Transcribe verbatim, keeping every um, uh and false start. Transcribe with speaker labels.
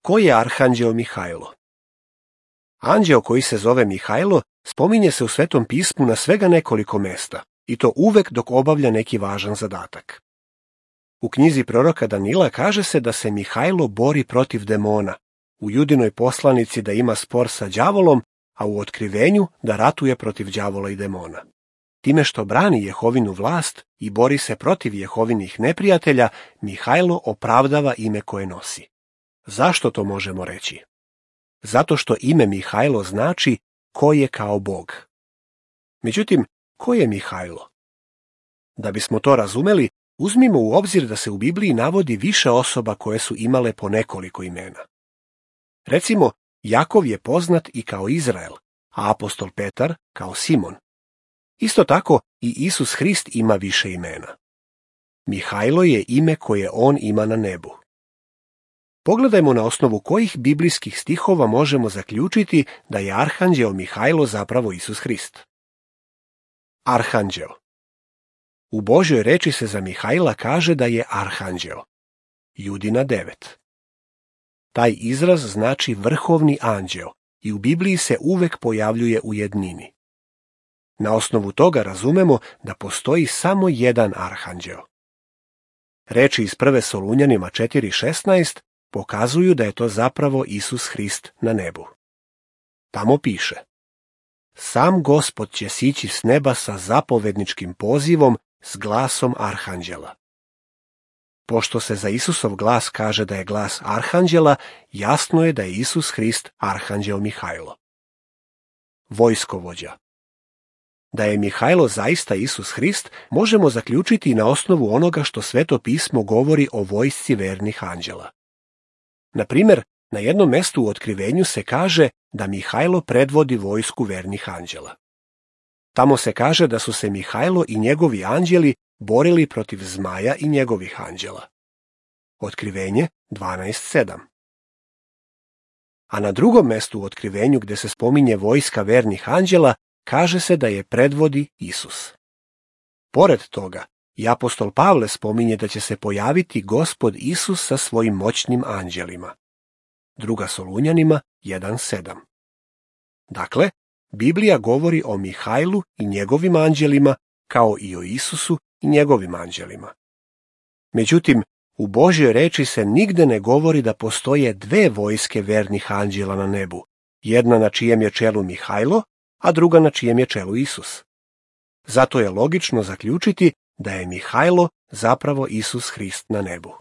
Speaker 1: Ko je arhanđeo Mihajlo? Anđeo koji se zove Mihajlo spominje se u Svetom pismu na svega nekoliko mesta, i to uvek dok obavlja neki važan zadatak. U knjizi proroka Danila kaže se da se Mihajlo bori protiv demona, u Judinoj poslanici da ima spor sa đavolom, a u Otkrivenju da ratuje protiv đavola i demona. Time što brani Jehovinu vlast i bori se protiv Jehovinih neprijatelja, Mihajlo opravdava ime koje nosi. Zašto to možemo reći? Zato što ime Mihajlo znači ko je kao Bog. Međutim, ko je Mihajlo? Da bismo to razumeli, uzmimo u obzir da se u Bibliji navodi više osoba koje su imale po nekoliko imena. Recimo, Jakov je poznat i kao Izrael, a apostol Petar kao Simon. Isto tako i Isus Hrist ima više imena. Mihajlo je ime koje on ima na nebu. Pogledajmo na osnovu kojih biblijskih stihova možemo zaključiti da je arhanđeo Mihajlo zapravo Isus Hrist. Arhanđeo. U Božjoj reči se za Mihajla kaže da je arhanđeo. Judina devet. Taj izraz znači vrhovni anđeo i u Bibliji se uvek pojavljuje u jednini. Na osnovu toga razumemo da postoji samo jedan arhanđeo. Reči iz prve Solunjanima četiri šesnaest pokazuju da je to zapravo Isus Hrist na nebu. Tamo piše: Sam Gospod će sići s neba sa zapovedničkim pozivom s glasom arhanđela. Pošto se za Isusov glas kaže da je glas arhanđela, jasno je da je Isus Hrist arhanđeo Mihajlo. Vojskovođa. Da je Mihajlo zaista Isus Hrist, možemo zaključiti na osnovu onoga što Sveto pismo govori o vojsci vernih anđela. Na primjer, na jednom mestu u Otkrivenju se kaže da Mihajlo predvodi vojsku vernih anđela. Tamo se kaže da su se Mihajlo i njegovi anđeli borili protiv zmaja i njegovih anđela. Otkrivenje dvanaest sedam. A na drugom mestu u Otkrivenju gde se spominje vojska vernih anđela, kaže se da je predvodi Isus. Pored toga, i apostol Pavle spominje da će se pojaviti Gospod Isus sa svojim moćnim anđelima. Druga Solunjanima jedan sedam. Dakle, Biblija govori o Mihajlu i njegovim anđelima, kao i o Isusu i njegovim anđelima. Međutim, u Božjoj reči se nigde ne govori da postoje dve vojske vernih anđela na nebu, jedna na čijem je čelu Mihajlo, a druga na čijem je čelu Isus. Zato je logično zaključiti da je Mihajlo zapravo Isus Hrist na nebu.